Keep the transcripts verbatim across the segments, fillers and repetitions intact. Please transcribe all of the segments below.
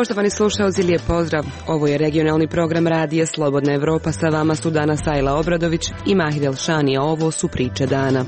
Poštovani slušalci, lijep pozdrav. Ovo je regionalni program Radija Slobodna Evropa. Sa vama su danas Sajla Obradović i Mahid Elšani, a ovo su priče dana.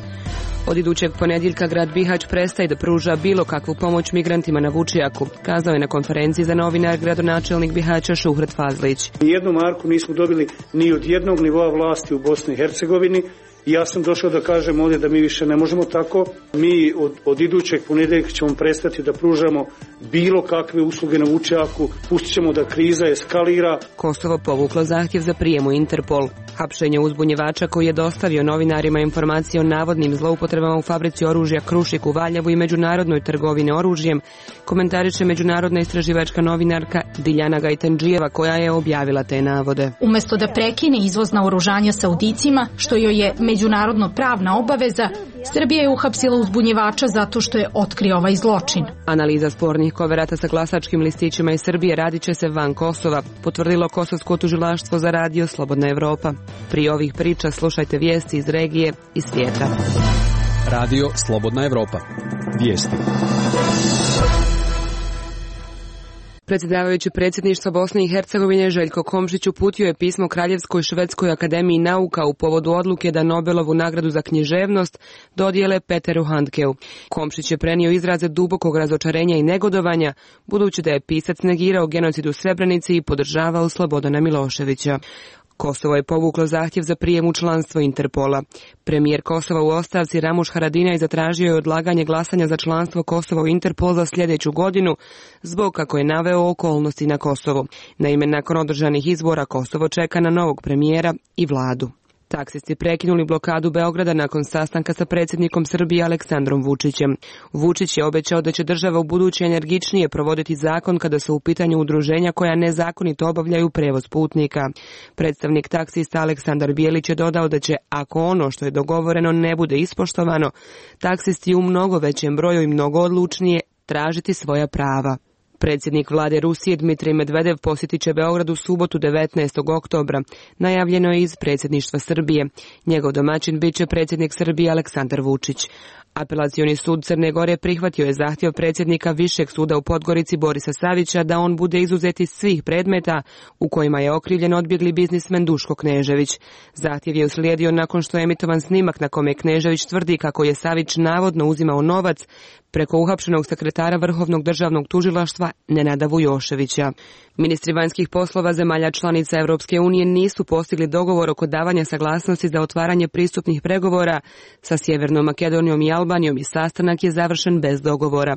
Od idućeg ponedjeljka grad Bihać prestaje da pruža bilo kakvu pomoć migrantima na Vučijaku, kazao je na konferenciji za novinar gradonačelnik Bihaća Šuhret Fazlić. Nijednu marku nismo dobili ni od jednog nivoa vlasti u Bosni i Hercegovini. I ja sam došao da kažem ovdje da mi više ne možemo tako. Mi od, od idućeg ponedjeljka ćemo prestati da pružamo bilo kakve usluge na Vučijaku. Pustit ćemo da kriza eskalira. Kosovo povuklo zahtjev za prijem u Interpol. Hapšenje uzbunjevača koji je dostavio novinarima informacije o navodnim zloupotrebama u fabrici oružja Krušik u Valjevu i međunarodnoj trgovini oružjem komentariše međunarodna istraživačka novinarka Diljana Gajtandžijeva, koja je objavila te navode. Umjesto da prekine izvoz naoružanja Saudicima, što joj je međunarodno pravna obaveza, Srbija je uhapsila uzbunjevača zato što je otkrio ovaj zločin. Analiza spornih koverata sa glasačkim listićima iz Srbije radit će se van Kosova, potvrdilo Kosovsko tužilaštvo za Radio Slobodna Evropa. Prije ovih priča slušajte vijesti iz regije i svijeta. Radio Slobodna Evropa. Vijesti. Predsjedavajući predsjedništva Bosne i Hercegovine Željko Komšić uputio je pismo Kraljevskoj švedskoj akademiji nauka u povodu odluke da Nobelovu nagradu za književnost dodijele Peteru Handkeu. Komšić je prenio izraze dubokog razočarenja i negodovanja, budući da je pisac negirao genocid u Srebrenici i podržavao Slobodana Miloševića. Kosovo je povuklo zahtjev za prijem u članstvo Interpola. Premijer Kosova u ostavci Ramuš Haradinaj zatražio je odlaganje glasanja za članstvo Kosova u Interpol za sljedeću godinu, zbog, kako je naveo, okolnosti na Kosovu. Naime, nakon održanih izbora Kosovo čeka na novog premijera i vladu. Taksisti prekinuli blokadu Beograda nakon sastanka sa predsjednikom Srbije Aleksandrom Vučićem. Vučić je obećao da će država u buduće energičnije provoditi zakon kada su u pitanju udruženja koja nezakonito obavljaju prevoz putnika. Predstavnik taksista Aleksandar Bijelić je dodao da će, ako ono što je dogovoreno ne bude ispoštovano, taksisti u mnogo većem broju i mnogo odlučnije tražiti svoja prava. Predsjednik vlade Rusije Dmitrij Medvedev posjetit će Beograd u subotu devetnaestog oktobra. Najavljeno je iz predsjedništva Srbije. Njegov domaćin bit će predsjednik Srbije Aleksandar Vučić. Apelacioni sud Crne Gore prihvatio je zahtjev predsjednika Višeg suda u Podgorici Borisa Savića da on bude izuzet iz svih predmeta u kojima je okrivljen odbjegli biznismen Duško Knežević. Zahtjev je uslijedio nakon što je emitovan snimak na kome Knežević tvrdi kako je Savić navodno uzimao novac preko uhapšenog sekretara Vrhovnog državnog tužilaštva Nenada Vujoševića. Ministri vanjskih poslova zemalja članica Europske unije nisu postigli dogovor oko davanja saglasnosti za otvaranje pristupnih pregovora sa Sjevernom Makedonijom i Albanijom i sastanak je završen bez dogovora.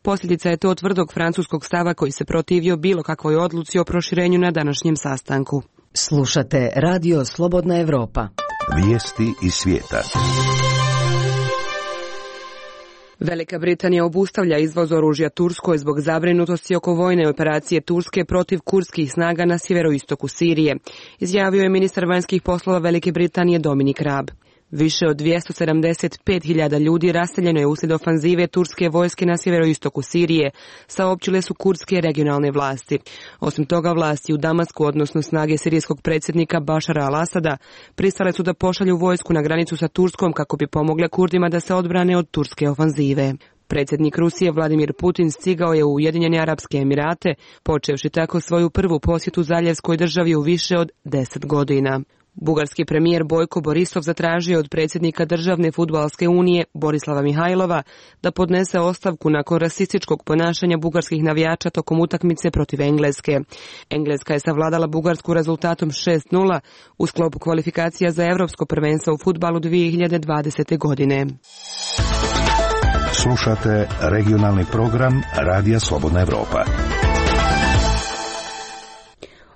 Posljedica je to tvrdog francuskog stava koji se protivio bilo kakvoj odluci o proširenju na današnjem sastanku. Slušate Radio Slobodna Evropa. Vijesti iz svijeta. Velika Britanija obustavlja izvoz oružja Turskoj zbog zabrinutosti oko vojne operacije Turske protiv kurdskih snaga na sjeveroistoku Sirije, izjavio je ministar vanjskih poslova Velike Britanije Dominic Raab. Više od dvjesto sedamdeset pet hiljada ljudi raseljeno je uslijed ofanzive turske vojske na sjeveroistoku Sirije, saopćile su kurdske regionalne vlasti. Osim toga, vlasti u Damasku, odnosno snage sirijskog predsjednika Bašara al-Asada, pristale su da pošalju vojsku na granicu sa Turskom kako bi pomogle Kurdima da se odbrane od turske ofanzive. Predsjednik Rusije Vladimir Putin stigao je u Ujedinjene Arapske Emirate, počevši tako svoju prvu posjetu zaljevskoj državi u više od deset godina. Bugarski premijer Bojko Borisov zatražio od predsjednika Državne fudbalske unije Borislava Mihajlova da podnese ostavku nakon rasističkog ponašanja bugarskih navijača tokom utakmice protiv Engleske. Engleska je savladala Bugarsku rezultatom šest nula u sklopu kvalifikacija za Europsko prvenstvo u fudbalu dvije hiljade dvadesete. godine. Slušate regionalni program Radija Slobodna Evropa.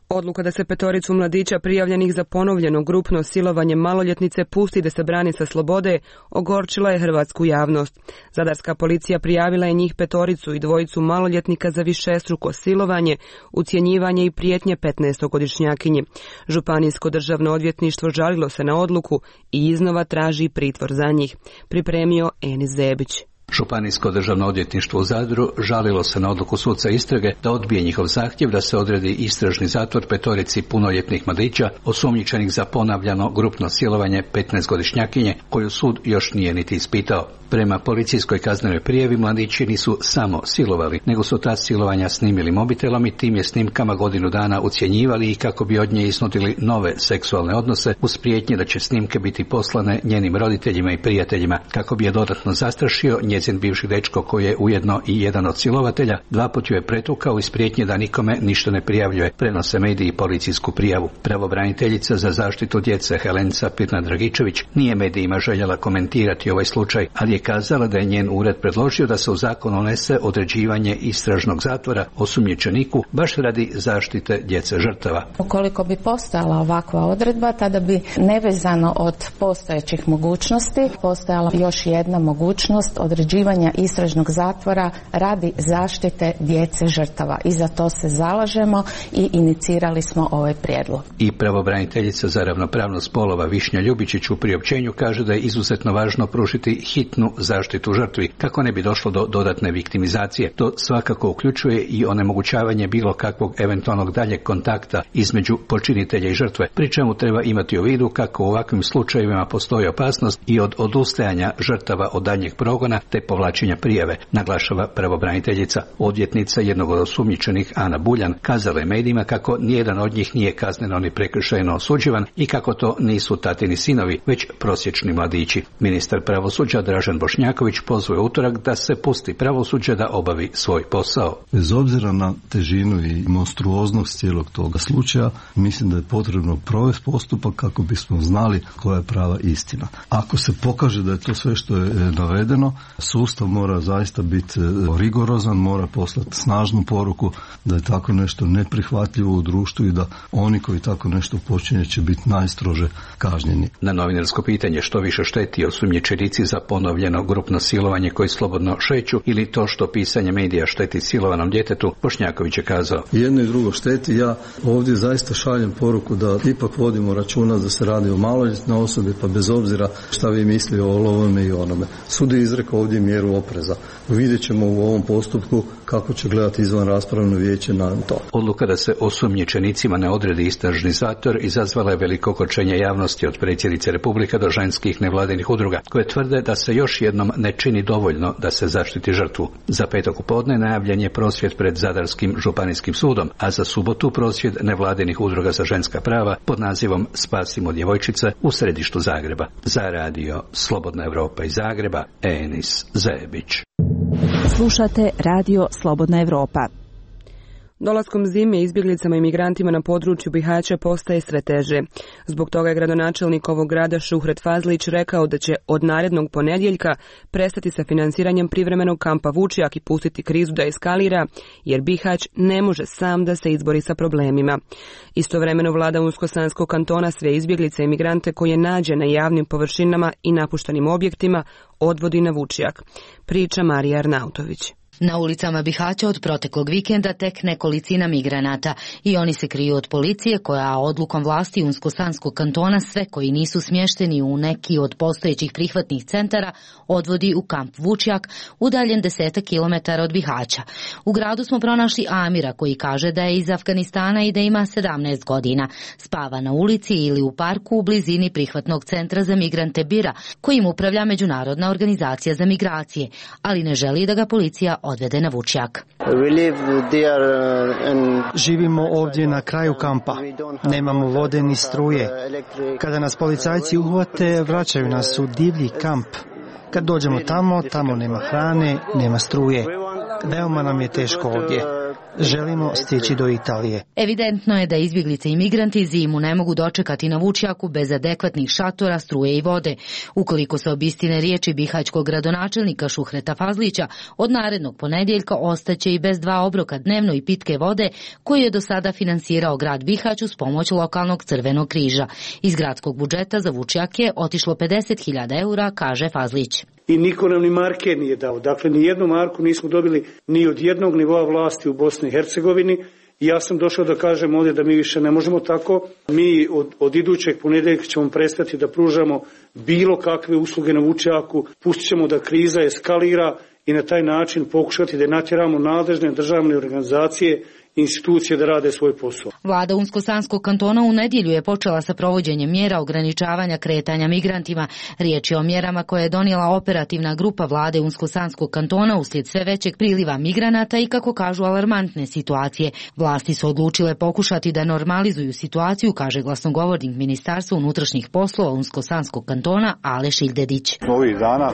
Odluka da se petoricu mladića prijavljenih za ponovljeno grupno silovanje maloljetnice pusti da se brani sa slobode ogorčila je hrvatsku javnost. Zadarska policija prijavila je njih petoricu i dvojicu maloljetnika za višestruko silovanje, ucjenjivanje i prijetnje petnaestogodišnjakinji. Županijsko državno odvjetništvo žalilo se na odluku i iznova traži pritvor za njih, pripremio Enis Zebić. Županijsko državno odvjetništvo u Zadru žalilo se na odluku suca istrage da odbije njihov zahtjev da se odredi istražni zatvor petorici punoljetnih mladića osumnjičenih za ponavljano grupno silovanje petnaestogodišnjakinje koju sud još nije niti ispitao. Prema policijskoj kaznenoj prijavi mladići nisu samo silovali, nego su ta silovanja snimili mobitelom i tim je snimkama godinu dana ucjenjivali i kako bi od nje isnutili nove seksualne odnose uz prijetnje da će snimke biti poslane njenim roditeljima i prijateljima. Kako bi je dodatno zastrašio, njezin bivši dečko koji je ujedno i jedan od silovatelja dva put ju je pretukao iz prijetnje da nikome ništa ne prijavljuje, prenose mediji policijsku prijavu. Pravobraniteljica za zaštitu djece Helenca Pirna-Dragičević nije medijima željela komentirati ovaj slučaj, ali je kazala da je njen ured predložio da se u zakon unese određivanje istražnog zatvora osumnjičeniku baš radi zaštite djece žrtava. Ukoliko bi postojala ovakva odredba, tada bi nevezano od postojećih mogućnosti postojala još jedna mogućnost određivanja istražnog zatvora radi zaštite djece žrtava. I za to se zalažemo i inicirali smo ovaj prijedlog. I pravobraniteljica za ravnopravnost spolova Višnja Ljubičić u priopćenju kaže da je izuzetno važno pružiti hitnu zaštitu žrtvi kako ne bi došlo do dodatne viktimizacije. To svakako uključuje i onemogućavanje bilo kakvog eventualnog daljeg kontakta između počinitelja i žrtve, pri čemu treba imati u vidu kako u ovakvim slučajevima postoji opasnost i od odustajanja žrtava od daljnjeg progona te povlačenja prijave, naglašava pravobraniteljica. Odvjetnica jednog od osumnjičenih Ana Buljan kazala je medijima kako nijedan od njih nije kazneno ni prekršajno osuđivan i kako to nisu tatini sinovi, već prosječni mladići. Ministar pravosuđa Dražen Bošnjaković pozvao utorak da se pusti pravosuđe da obavi svoj posao. Bez obzira na težinu i monstruoznost cijelog toga slučaja, mislim da je potrebno provesti postupak kako bismo znali koja je prava istina. Ako se pokaže da je to sve što je navedeno, sustav mora zaista biti rigorozan, mora poslati snažnu poruku da je tako nešto neprihvatljivo u društvu i da oni koji tako nešto počinje će biti najstrože kažnjeni. Na novinarsko pitanje što više šteti osumnjičenici za ponovljeno grupno silovanje koji slobodno šeću ili to što pisanje medija šteti silovanom djetetu, Bošnjaković je kazao: jedno i drugo šteti. Ja ovdje zaista šaljem poruku da ipak vodimo računa da se radi o maloljetnoj osobi, pa bez obzira šta vi misli o ovome i onome. Sud je izrekao ovdje mjeru opreza. Vidjet ćemo u ovom postupku kako će gledati izvan raspravno vijeće na to. Odluka da se osumnjičenicima ne odredi istražni zatvor izazvala je veliko ogorčenje javnosti od predsjednice Republike do ženskih nevladinih udruga koje tvrde da se još jednom ne čini dovoljno da se zaštiti žrtvu. Za petak u podne najavljen je prosvjed pred Zadarskim županijskim sudom, a za subotu prosvjed nevladinih udruga za ženska prava pod nazivom Spasimo djevojčice u središtu Zagreba. Za radio Slobodna Evropa iz Zagreba, Enis Zebić. Slušate radio Slobodna Evropa. Dolaskom zime izbjeglicama i migrantima na području Bihaća postaje sve teže. Zbog toga je gradonačelnik ovog grada Šuhret Fazlić rekao da će od narednog ponedjeljka prestati sa finansiranjem privremenog kampa Vučjak i pustiti krizu da eskalira, jer Bihać ne može sam da se izbori sa problemima. Istovremeno vlada Unsko-Sanskog kantona sve izbjeglice i migrante koje nađe na javnim površinama i napuštenim objektima odvodi na Vučjak. Priča Marija Arnautović. Na ulicama Bihaća od proteklog vikenda tek nekolicina migranata i oni se kriju od policije koja odlukom vlasti Unsko-Sanskog kantona sve koji nisu smješteni u neki od postojećih prihvatnih centara odvodi u kamp Vučjak, udaljen desetak kilometara od Bihaća. U gradu smo pronašli Amira koji kaže da je iz Afganistana i da ima sedamnaest godina. Spava na ulici ili u parku u blizini prihvatnog centra za migrante Bira, kojim upravlja Međunarodna organizacija za migracije, ali ne želi da ga policija odvede na Vučjak. Živimo ovdje na kraju kampa. Nemamo vode ni struje. Kada nas policajci uhvate, vraćaju nas u divlji kamp. Kad dođemo tamo, tamo nema hrane, nema struje. Veoma nam je teško ovdje. Želimo stići do Italije. Evidentno je da izbjeglice i migranti zimu ne mogu dočekati na Vučjaku bez adekvatnih šatora, struje i vode. Ukoliko se obistine riječi bihaćkog gradonačelnika Šuhreta Fazlića, od narednog ponedjeljka ostaće i bez dva obroka dnevno i pitke vode koju je do sada finansirao grad Bihać uz pomoć lokalnog Crvenog križa. Iz gradskog budžeta za Vučjak je otišlo pedeset hiljada eura, kaže Fazlić. I niko nam ni marke nije dao. Dakle, ni jednu marku nismo dobili ni od jednog nivoa vlasti u Bosni i Hercegovini I ja sam došao da kažem ovdje da mi više ne možemo tako. Mi od, od idućeg ponedjeljka ćemo prestati da pružamo bilo kakve usluge na Vučjaku, pustit ćemo da kriza eskalira i na taj način pokušati da natjeramo nadležne državne organizacije i institucije da rade svoj posao. Vlada Unsko-Sanskog kantona u nedjelju je počela sa provođenjem mjera ograničavanja kretanja migrantima. Riječ je o mjerama koje je donijela operativna grupa vlade Unsko-Sanskog kantona uslijed sve većeg priliva migranata i, kako kažu, alarmantne situacije. Vlasti su odlučile pokušati da normalizuju situaciju, kaže glasnogovornik Ministarstva unutrašnjih poslova Unsko-Sanskog kantona Aleš Ildedić. Ovih dana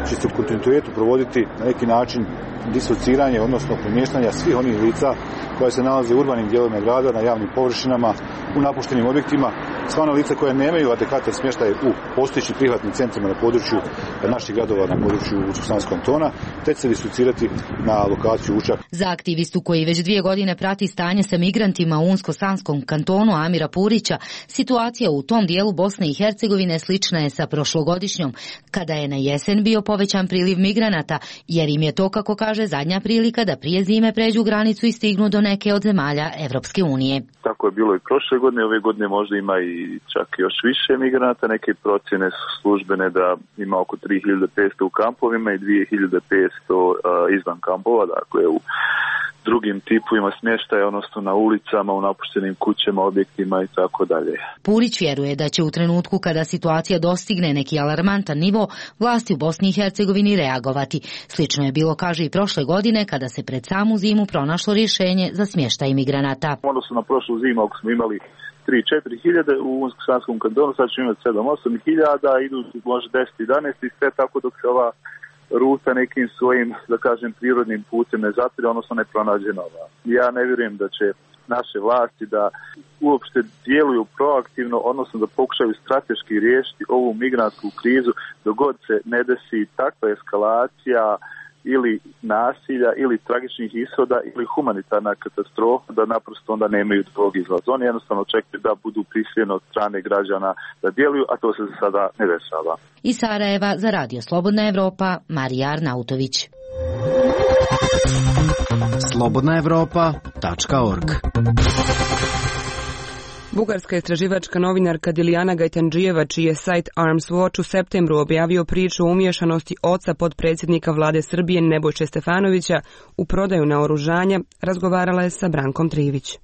će se u kontinuitetu provoditi na neki način disociranje, odnosno premještanja svih onih lica koja se nalaze u urbanim dijelovima grada, na javnim površinama, u napuštenim objektima. Sva ona lica koja nemaju adekvatan smještaj u postojećim prihvatnim centrima na području naših gradova, na području Unsko-Sanskog kantona, te će se disocirati na lokaciju Vučjak. Za aktivistu koji već dvije godine prati stanje sa migrantima u Unsko-Sanskom kantonu Amira Purića, situacija u tom dijelu Bosne i Hercegovine slična je sa prošlogodišnjom, kada je na jesen bio povećan priliv migranata, jer im je to, kako kaže, zadnja prilika da prije zime pređu granicu i stignu do neke od zemalja Evropske unije. Tako je bilo i prošle godine, ove godine možda ima i čak još više migranata. Neke procjene su službene da ima oko tri hiljade petsto u kampovima i dvije hiljade petsto uh, izvan kampova, dakle u drugim tipovima smještaja, odnosno na ulicama, u napuštenim kućama, objektima i tako dalje. Purić vjeruje da će u trenutku kada situacija dostigne neki alarmantan nivo, vlasti u Bosni i Hercegovini reagovati. Slično je bilo, kaže, i prošle godine kada se pred samu zimu pronašlo rješenje za smještaj migranata. Odnosno na prošlu zimu, ako smo imali tri do četiri hiljade u Unsko-Sanskom kantonu, sad ćemo imati sedam do osam hiljada, idu može deset do jedanaest i sve tako dok se ova ruta nekim svojim, da kažem, prirodnim putem ne zatire, odnosno ne pronađe nova. Ja ne vjerujem da će naše vlasti da uopšte djeluju proaktivno, odnosno da pokušaju strateški riješiti ovu migrantsku krizu dok god se ne desi takva eskalacija ili nasilja, ili tragičnih ishoda, ili humanitarna katastrofa, da naprosto onda nemaju drugog izlaza. Oni jednostavno čekaju da budu prisiljeni od strane građana da djeluju, a to se za sada ne dešava. Iz Sarajeva za Radio Slobodna Evropa, Marija Arnautović. slobodna evropa tačka org. Bugarska istraživačka novinarka Dilijana Gajtandžijeva, čiji je sajt Arms Watch u septembru objavio priču o umiješanosti oca potpredsjednika vlade Srbije Nebojše Stefanovića u prodaju naoružanja, razgovarala je sa Brankom Trivić.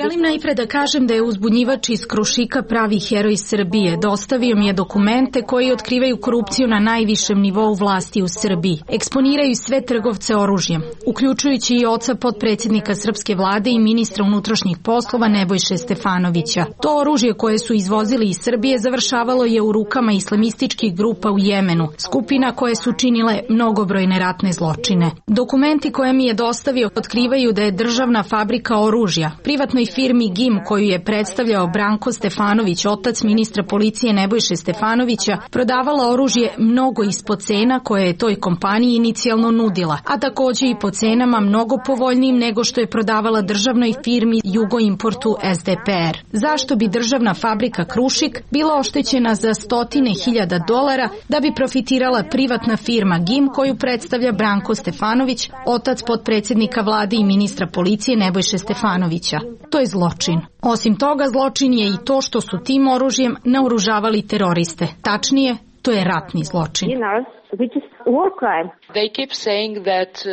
Želim najpre da kažem da je uzbunjivač iz Krušika pravi heroj Srbije. Dostavio mi je dokumente koji otkrivaju korupciju na najvišem nivou vlasti u Srbiji. Eksponiraju sve trgovce oružjem, uključujući i oca potpredsjednika srpske vlade i ministra unutrašnjih poslova Nebojše Stefanovića. To oružje koje su izvozili iz Srbije završavalo je u rukama islamističkih grupa u Jemenu, skupina koje su činile mnogobrojne ratne zločine. Dokumenti koje mi je dostavio otkrivaju da je državna fabrika oružja privatnoj firmi G I M, koju je predstavljao Branko Stefanović, otac ministra policije Nebojše Stefanovića, prodavala oružje mnogo ispod cena koje je toj kompaniji inicijalno nudila, a također i po cenama mnogo povoljnijim nego što je prodavala državnoj firmi Jugoimportu S D P R. Zašto bi državna fabrika Krušik bila oštećena za stotine hiljada dolara da bi profitirala privatna firma G I M koju predstavlja Branko Stefanović, otac potpredsjednika vlade i ministra policije Nebojše Stefanovića? To je zločin. Osim toga, zločin je i to što su tim oružjem naoružavali teroriste. Tačnije, to je ratni zločin.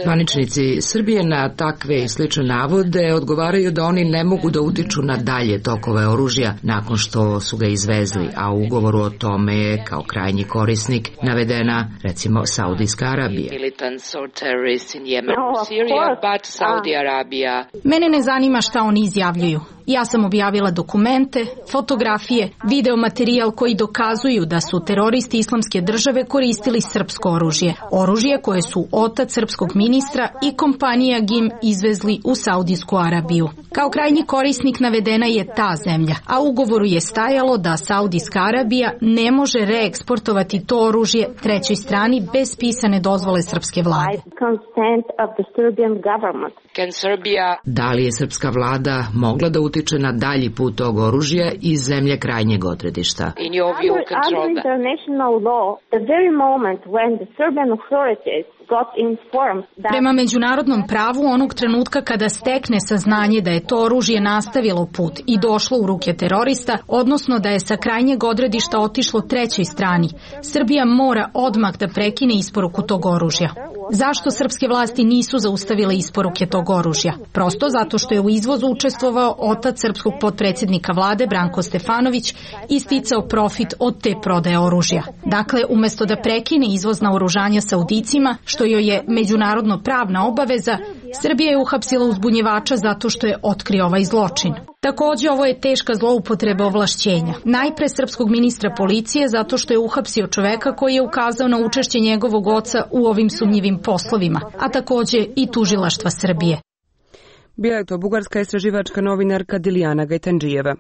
Zvaničnici Srbije na takve i slične navode odgovaraju da oni ne mogu da utiču na dalje tokove oružja nakon što su ga izvezli, a u ugovoru o tome je kao krajnji korisnik navedena recimo Saudijska Arabija. Mene ne zanima šta oni izjavljuju. Ja sam objavila dokumente, fotografije, video materijal koji dokazuju da su teroristi Islamske države koristili srpsko oružje. Oružje koje su otac srpskog ministra i kompanija G I M izvezli u Saudijsku Arabiju. Kao krajnji korisnik navedena je ta zemlja, a u ugovoru je stajalo da Saudijska Arabija ne može reeksportovati to oružje trećoj strani bez pisane dozvole srpske vlade. Da li je srpska vlada mogla da utiče na dalji put tog oružja iz zemlje krajnjeg odredišta? Prema međunarodnom pravu, onog trenutka kada stekne saznanje da je to oružje nastavilo put i došlo u ruke terorista, odnosno da je sa krajnjeg odredišta otišlo trećoj strani, Srbija mora odmah da prekine isporuku tog oružja. Zašto srpske vlasti nisu zaustavile isporuke tog oružja? Prosto zato što je u izvozu učestvovao otac srpskog potpredsjednika vlade Branko Stefanović i sticao profit od te prodaje oružja. Dakle, umesto da prekine izvoz naoružanja Saudicima, što joj je međunarodno pravna obaveza, Srbija je uhapsila uzbunjivača zato što je otkrio ovaj zločin. Takođe, ovo je teška zloupotreba ovlašćenja. Najpre srpskog ministra policije zato što je uhapsio čoveka koji je ukazao na učešće njegovog oca u ovim sumnjivim poslovima, a takođe i tužilaštva Srbije. Bila je to bugarska istraživačka novinarka Dilijana Gajtandžijeva.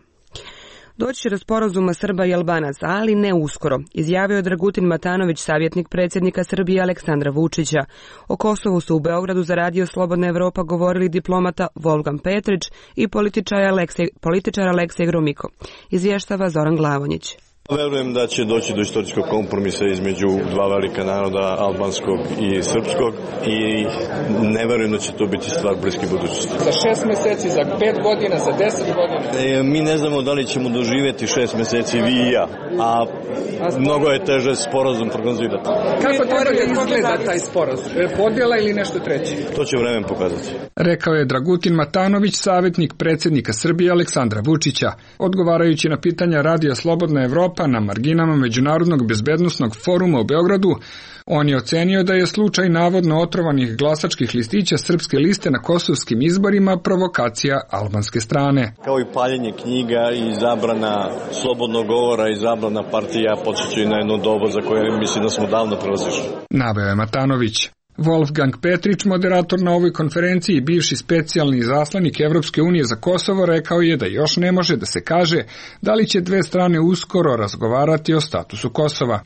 Doći će do sporazuma Srba i Albanaca, ali ne uskoro, izjavio je Dragutin Matanović, savjetnik predsjednika Srbije Aleksandra Vučića. O Kosovu su u Beogradu za Radio Slobodna Evropa govorili diplomata Wolfgang Petrić i političar Aleksej, političar Aleksej Gromiko. Izvještava Zoran Glavonjić. Verujem da će doći do istorijskog kompromisa između dva velika naroda, albanskog i srpskog, i ne verujem da će to biti stvar bliske budućnosti. Za šest meseci, za pet godina, za deset godina? E, mi ne znamo da li ćemo doživjeti šest meseci vi i ja, a mnogo je teže sporazum prognozirati. Kako treba da izgleda taj sporazum? Podjela ili nešto treće? To će vremen pokazati. Rekao je Dragutin Matanović, savjetnik predsjednika Srbije Aleksandra Vučića, odgovarajući na pitanja Radija Slobodna Evropa na marginama Međunarodnog bezbednosnog foruma u Beogradu. On je ocenio da je slučaj navodno otrovanih glasačkih listića srpske liste na kosovskim izborima provokacija albanske strane. Kao i paljenje knjiga i zabrana slobodnog govora i zabrana partija podsjećaju na jedno doba za koje mislim da smo davno prelazišli. Naveo je Matanović. Wolfgang Petrić, moderator na ovoj konferenciji i bivši specijalni izaslanik Evropske unije za Kosovo, rekao je da još ne može da se kaže da li će dve strane uskoro razgovarati o statusu Kosova.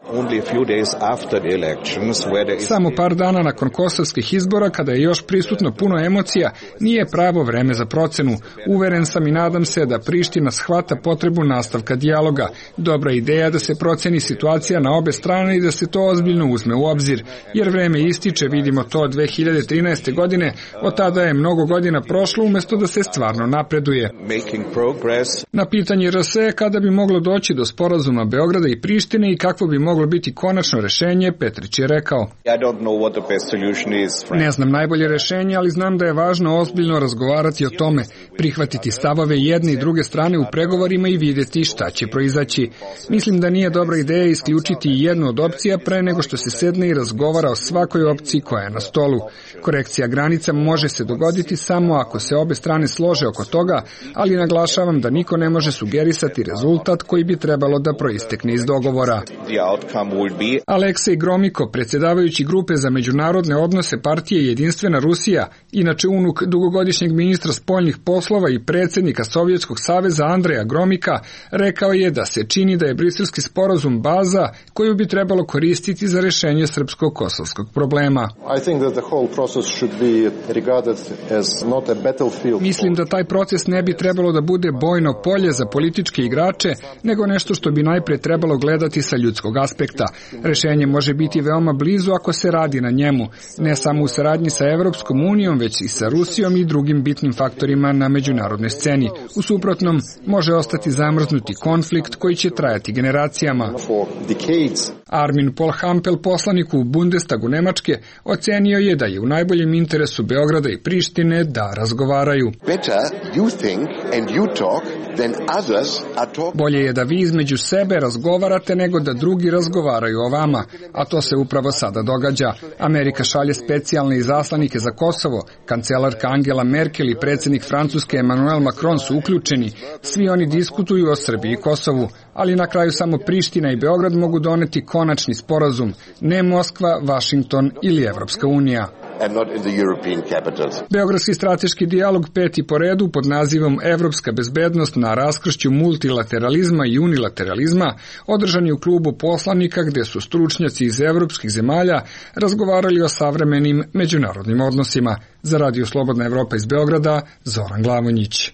Samo par dana nakon kosovskih izbora, kada je još prisutno puno emocija, nije pravo vreme za procenu. Uveren sam i nadam se da Priština shvata potrebu nastavka dijaloga. Dobra ideja da se proceni situacija na obe strane i da se to ozbiljno uzme u obzir, jer vreme ističe, vidimo to dve hiljade trinaeste. godine, od tada je mnogo godina prošlo umjesto da se stvarno napreduje. Na pitanje R S E kada bi moglo doći do sporazuma Beograda i Prištine i kakvo bi moglo biti konačno rešenje, Petrić je rekao: Ne znam najbolje rešenje, ali znam da je važno ozbiljno razgovarati o tome, prihvatiti stavove jedne i druge strane u pregovorima i vidjeti šta će proizaći. Mislim da nije dobra ideja isključiti jednu od opcija pre nego što se sedne i razgovara o svakoj opciji koja je na stolu. Korekcija granica može se dogoditi samo ako se obe strane slože oko toga, ali naglašavam da niko ne može sugerisati rezultat koji bi trebalo da proistekne iz dogovora. Aleksej Gromiko, predsjedavajući grupe za međunarodne odnose partije Jedinstvena Rusija, inače unuk dugogodišnjeg ministra spoljnih poslova i predsjednika Sovjetskog saveza Andreja Gromika, rekao je da se čini da je briselski sporazum baza koju bi trebalo koristiti za rešenje srpsko-kosovskog problema. Mislim da taj proces ne bi trebalo da bude bojno polje za političke igrače, nego nešto što bi najpre trebalo gledati sa ljudskog aspekta. Rešenje može biti veoma blizu ako se radi na njemu, ne samo u saradnji sa Evropskom unijom, već i sa Rusijom i drugim bitnim faktorima na međunarodnoj sceni. U suprotnom, može ostati zamrznuti konflikt koji će trajati generacijama. Armin Polhampel, poslanik u Bundestagu Nemačke, ocenio je da je u najboljem interesu Beograda i Prištine da razgovaraju. Bolje je da vi između sebe razgovarate nego da drugi razgovaraju o vama, a to se upravo sada događa. Amerika šalje specijalne izaslanike za Kosovo, kancelarka Angela Merkel i predsjednik Francuske Emmanuel Macron su uključeni. Svi oni diskutuju o Srbiji i Kosovu, ali na kraju samo Priština i Beograd mogu doneti konačni sporazum, ne Moskva, Vašington ili Evropska unija. Beogradski strateški dijalog peti po redu pod nazivom Evropska bezbednost na raskršću multilateralizma i unilateralizma održan je u klubu poslanika gdje su stručnjaci iz evropskih zemalja razgovarali o savremenim međunarodnim odnosima. Za Radio Slobodna Evropa iz Beograda, Zoran Glavonjić.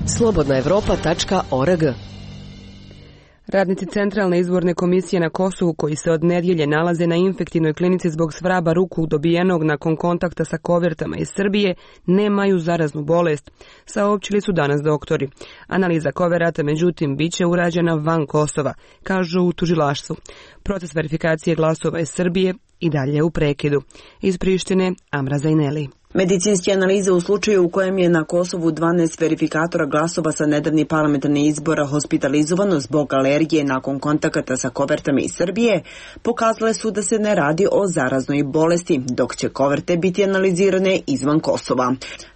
slobodna evropa tačka org. Radnici Centralne izborne komisije na Kosovu koji se od nedjelje nalaze na infektivnoj klinici zbog svraba ruku dobijenog nakon kontakta sa kovertama iz Srbije nemaju zaraznu bolest, saopćili su danas doktori. Analiza koverata, međutim, bit će urađena van Kosova, kažu u tužilaštvu. Proces verifikacije glasova iz Srbije i dalje u prekidu. Iz Prištine, Amra Zajneli. Medicinske analize u slučaju u kojem je na Kosovu dvanaest verifikatora glasova sa nedavnih parlamentarnih izbora hospitalizovano zbog alergije nakon kontakata sa kovertama iz Srbije pokazale su da se ne radi o zaraznoj bolesti, dok će koverte biti analizirane izvan Kosova.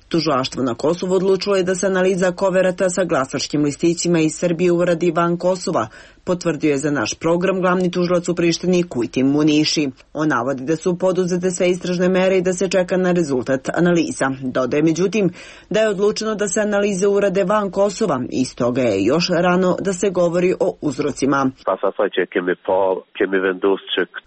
Tužilaštvo na Kosovu odlučilo je da se analiza koverata sa glasačkim listićima iz Srbije uradi van Kosova, potvrdio je za naš program glavni tužilac u Prištini Kujtim Muniši. On navodi da su poduzete sve istražne mere i da se čeka na rezultat analiza. Dodaje međutim da je odlučeno da se analize urade van Kosova i stoga je još rano da se govori o uzrocima.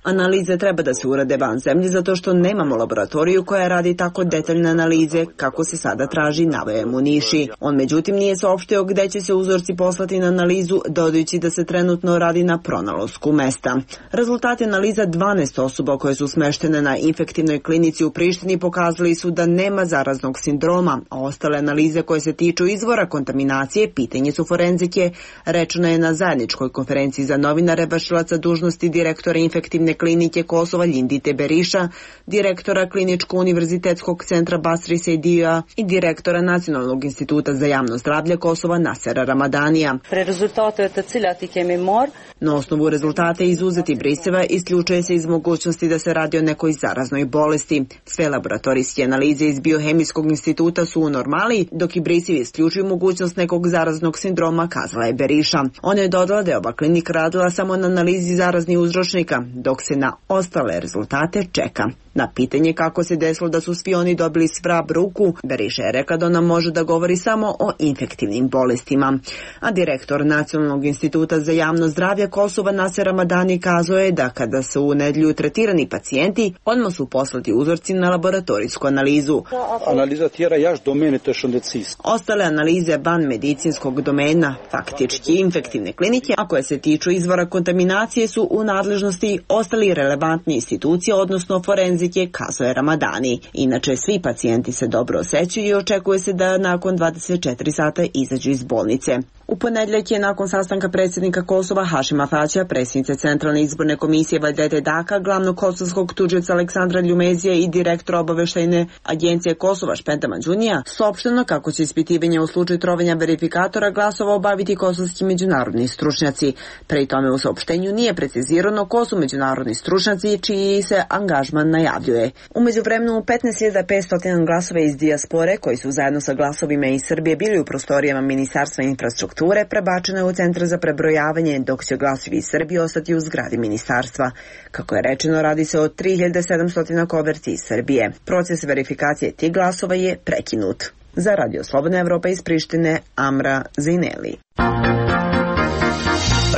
Analize treba da se urade van zemlje zato što nemamo laboratoriju koja radi tako detaljne analize kako se sada traži, naveo Muniši. On međutim nije saopštio gde će se uzorci poslati na analizu, dodajući da se trenutno radi na pronalasku mesta. Rezultati analiza dvanaest osoba koje su smeštene na infektivnoj klinici u Prištini pokazali su da nema zaraznog sindroma, a ostale analize koje se tiču izvora kontaminacije pitanje su forenzike, rečeno je na zajedničkoj konferenciji za novinare vršilaca dužnosti direktora infektivne klinike Kosova Ljindite Beriša, direktora Kliničko-univerzitetskog centra Basri Sejdija i direktora Nacionalnog instituta za javno zdravlje Kosova Nasera Ramadanija. Pre rezultate të cilat i kemi marr, na osnovu rezultate izuzeti briseva isključuje se iz mogućnosti da se radi o nekoj zaraznoj bolesti. Sve laboratorijske analize iz Biohemijskog instituta su u normali, dok i brisevi isključuju mogućnost nekog zaraznog sindroma, kazala je Beriša. Ona je dodala da je ova klinika radila samo na analizi zaraznih uzročnika, dok se na ostale rezultate čeka. Na pitanje kako se desilo da su svi oni dobili svrab ruku, Beriša je rekla da ona može da govori samo o infektivnim bolestima. A direktor Nacionalnog instituta za javno zdravlje Kosova Naser Ramadani kazao je da kada su u nedjelju tretirani pacijenti, odmah su poslati uzorci na laboratorijsku analizu. Analiza tjera jaš domene to šondecis. Ostale analize van medicinskog domena, faktički infektivne klinike, a koje se tiču izvora kontaminacije, su u nadležnosti ostali relevantni institucije, odnosno forenzike, kazao je Ramadani. Inače, svi pacijenti se dobro osjećaju i očekuje se da nakon dvadeset četiri sata izađu iz bolnice. U ponedjeljak je nakon sastanka predsjednika Kosova Hašima Tačija, predsjednice Centralne izborne komisije Vajdete Daka, glavnog kosovskog tužioca Aleksandra Ljumezija i direktora obaveštajne agencije Kosova Špenta Mađunija, saopšteno kako će ispitivanje u slučaju trovanja verifikatora glasova obaviti kosovski međunarodni stručnjaci. Pri tome u saopštenju nije precizirano ko su međunarodni stručnjaci čiji se angažman najavljuje. U međuvremenu petnaest hiljada petsto glasova iz dijaspore koji su zajedno sa glasovima iz Srbije bili u prostorijama Ministarstva infrastrukture prebačeno je u centar za prebrojavanje, dok će glasovi iz Srbije ostati u zgradi ministarstva. Kako je rečeno, radi se o tri hiljade sedamsto koverti iz Srbije. Proces verifikacije tih glasova je prekinut. Za Radio Slobodna Evropa iz Prištine, Amra Zajneli.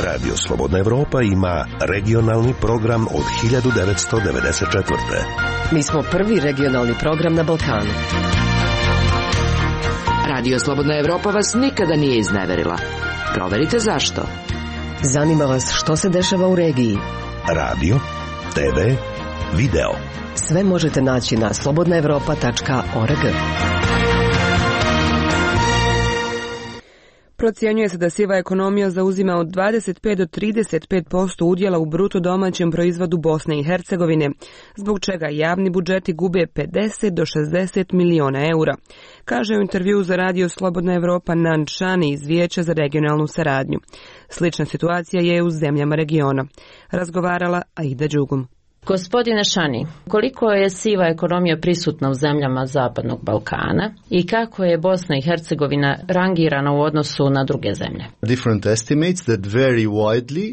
Radio Slobodna Evropa ima regionalni program od hiljadu devetsto devedeset četvrte. Mi smo prvi regionalni program na Balkanu. Radio Slobodna Evropa vas nikada nije izneverila. Proverite zašto. Zanima vas što se dešava u regiji. Radio, te ve, video. Sve možete naći na slobodna evropa tačka org. Procjenjuje se da siva ekonomija zauzima od dvadeset pet do trideset pet posto udjela u bruto domaćem proizvodu Bosne i Hercegovine, zbog čega javni budžeti gube pedeset do šezdeset miliona eura, kaže u intervju za Radio Slobodna Evropa Nan Šani iz Vijeća za regionalnu saradnju. Slična situacija je u zemljama regiona. Razgovarala Aida Đugum. Gospodine Šani, koliko je siva ekonomija prisutna u zemljama Zapadnog Balkana i kako je Bosna i Hercegovina rangirana u odnosu na druge zemlje?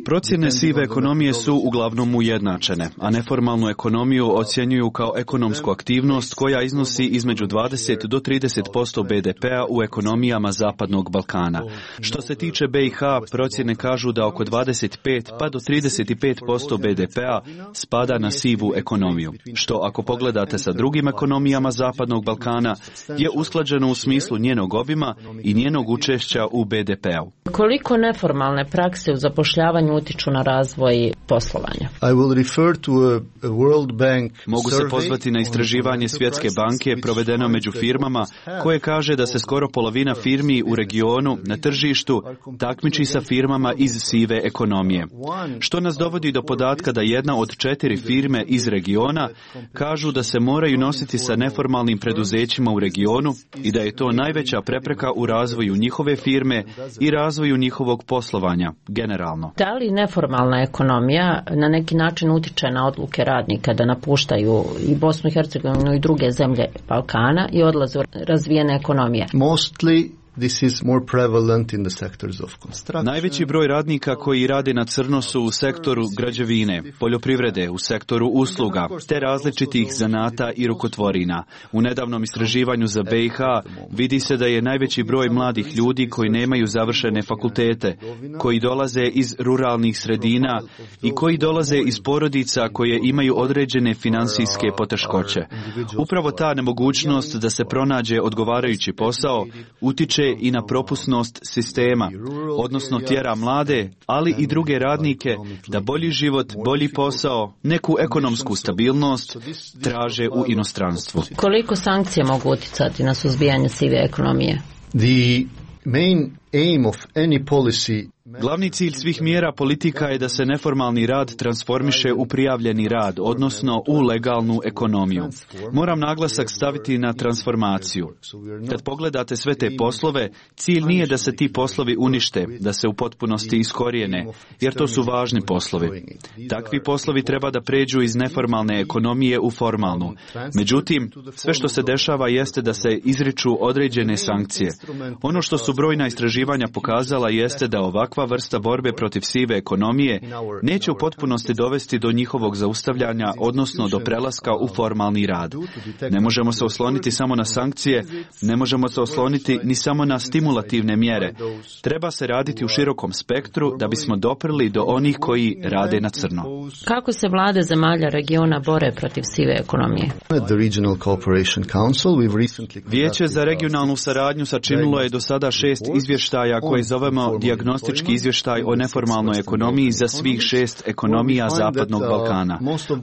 Procjene sive ekonomije su uglavnom ujednačene, a neformalnu ekonomiju ocjenjuju kao ekonomsku aktivnost koja iznosi između dvadeset do trideset posto be de pea u ekonomijama Zapadnog Balkana. Što se tiče be i ha, procjene kažu da oko dvadeset pet pa do trideset pet posto be de pea spada na sivu ekonomiju, što ako pogledate sa drugim ekonomijama Zapadnog Balkana je usklađeno u smislu njenog obima i njenog učešća u be de pe-u. Koliko neformalne prakse u zapošljavanju utiču na razvoj poslovanja? I will refer to a, a World Bank Mogu se pozvati na istraživanje Svjetske banke provedeno među firmama koje kaže da se skoro polovina firmi u regionu na tržištu takmiči sa firmama iz sive ekonomije. Što nas dovodi do podatka da jedna od četiri firme iz regiona kažu da se moraju nositi sa neformalnim preduzećima u regionu i da je to najveća prepreka u razvoju njihove firme i razvoju njihovog poslovanja generalno. Da li neformalna ekonomija na neki način utiče na odluke radnika da napuštaju i Bosnu i Hercegovinu i druge zemlje Balkana i odlaze u razvijene ekonomije? Mostly This is more prevalent in the sectors of construction. Najveći broj radnika koji rade na crno su u sektoru građevine, poljoprivrede, u sektoru usluga, te različitih zanata i rukotvorina. U nedavnom istraživanju za be i ha vidi se da je najveći broj mladih ljudi koji nemaju završene fakultete, koji dolaze iz ruralnih sredina i koji dolaze iz porodica koje imaju određene finansijske poteškoće. Upravo ta nemogućnost da se pronađe odgovarajući posao utiče i na propusnost sistema, odnosno tjera mlade, ali i druge radnike da bolji život, bolji posao, neku ekonomsku stabilnost traže u inostranstvu. Koliko sankcije mogu uticati na suzbijanje sive ekonomije? The main aim of any policy. Glavni cilj svih mjera politika je da se neformalni rad transformiše u prijavljeni rad, odnosno u legalnu ekonomiju. Moram naglasak staviti na transformaciju. Kad pogledate sve te poslove, cilj nije da se ti poslovi unište, da se u potpunosti iskorijene, jer to su važni poslovi. Takvi poslovi treba da pređu iz neformalne ekonomije u formalnu. Međutim, sve što se dešava jeste da se izriču određene sankcije. Ono što su brojna istraživanja pokazala jeste da ovakva vrsta borbe protiv sive ekonomije neće u potpunosti dovesti do njihovog zaustavljanja, odnosno do prelaska u formalni rad. Ne možemo se osloniti samo na sankcije, ne možemo se osloniti ni samo na stimulativne mjere. Treba se raditi u širokom spektru da bismo doprli do onih koji rade na crno. Kako se vlade zemalja regiona bore protiv sive ekonomije? Vijeće za regionalnu saradnju sačinilo je do sada šest izvještaja koje zovemo dijagnostički izvještaj o neformalnoj ekonomiji za svih šest ekonomija Zapadnog Balkana.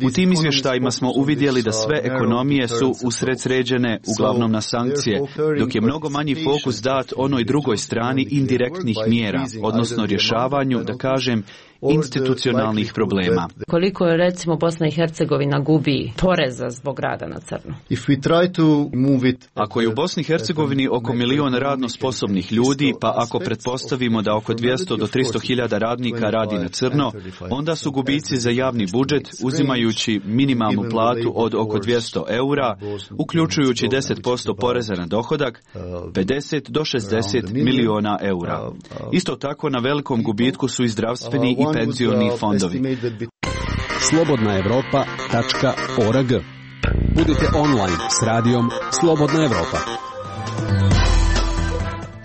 U tim izvještajima smo uvidjeli da sve ekonomije su usredsređene uglavnom na sankcije, dok je mnogo manji fokus dat onoj drugoj strani indirektnih mjera, odnosno rješavanju, da kažem, institucionalnih problema. Koliko je recimo Bosna i Hercegovina gubi poreza zbog rada na crno? Ako je u Bosni i Hercegovini oko milion radno sposobnih ljudi, pa ako pretpostavimo da oko dvjesto do tristo hiljada radnika radi na crno, onda su gubici za javni budžet, uzimajući minimalnu platu od oko dvjesto eura, uključujući deset posto poreza na dohodak, pedeset do šezdeset miliona eura. Isto tako na velikom gubitku su i zdravstveni i penzioni fondovi. slobodna evropa tačka org. Budite online s radijom Slobodna Evropa.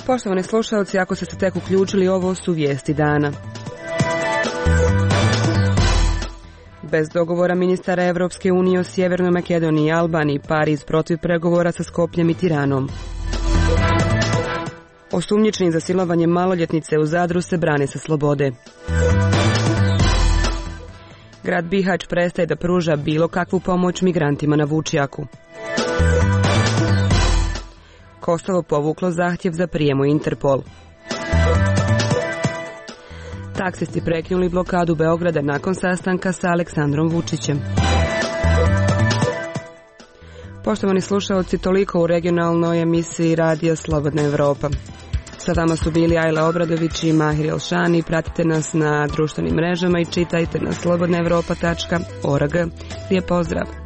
Poštovani slušalci, ako ste se tek uključili, ovo su vijesti dana. Bez dogovora ministara Evropske unije o Sjevernoj Makedoniji i Albaniji, Pariz protiv pregovora sa Skopljem i Tiranom. Osumnjičeni za silovanje maloljetnice u Zadru se brane sa slobode. Grad Bihać prestaje da pruža bilo kakvu pomoć migrantima na Vučjaku. Kosovo povuklo zahtjev za prijem u Interpol. Taksisti prekinuli blokadu Beograda nakon sastanka sa Aleksandrom Vučićem. Poštovani slušalci, toliko u regionalnoj emisiji Radija Slobodna Evropa. Sa vama su bili Ajla Obradović i Mahir Elšani. Pratite nas na društvenim mrežama i čitajte na slobodna evropa tačka org. Lijep pozdrav!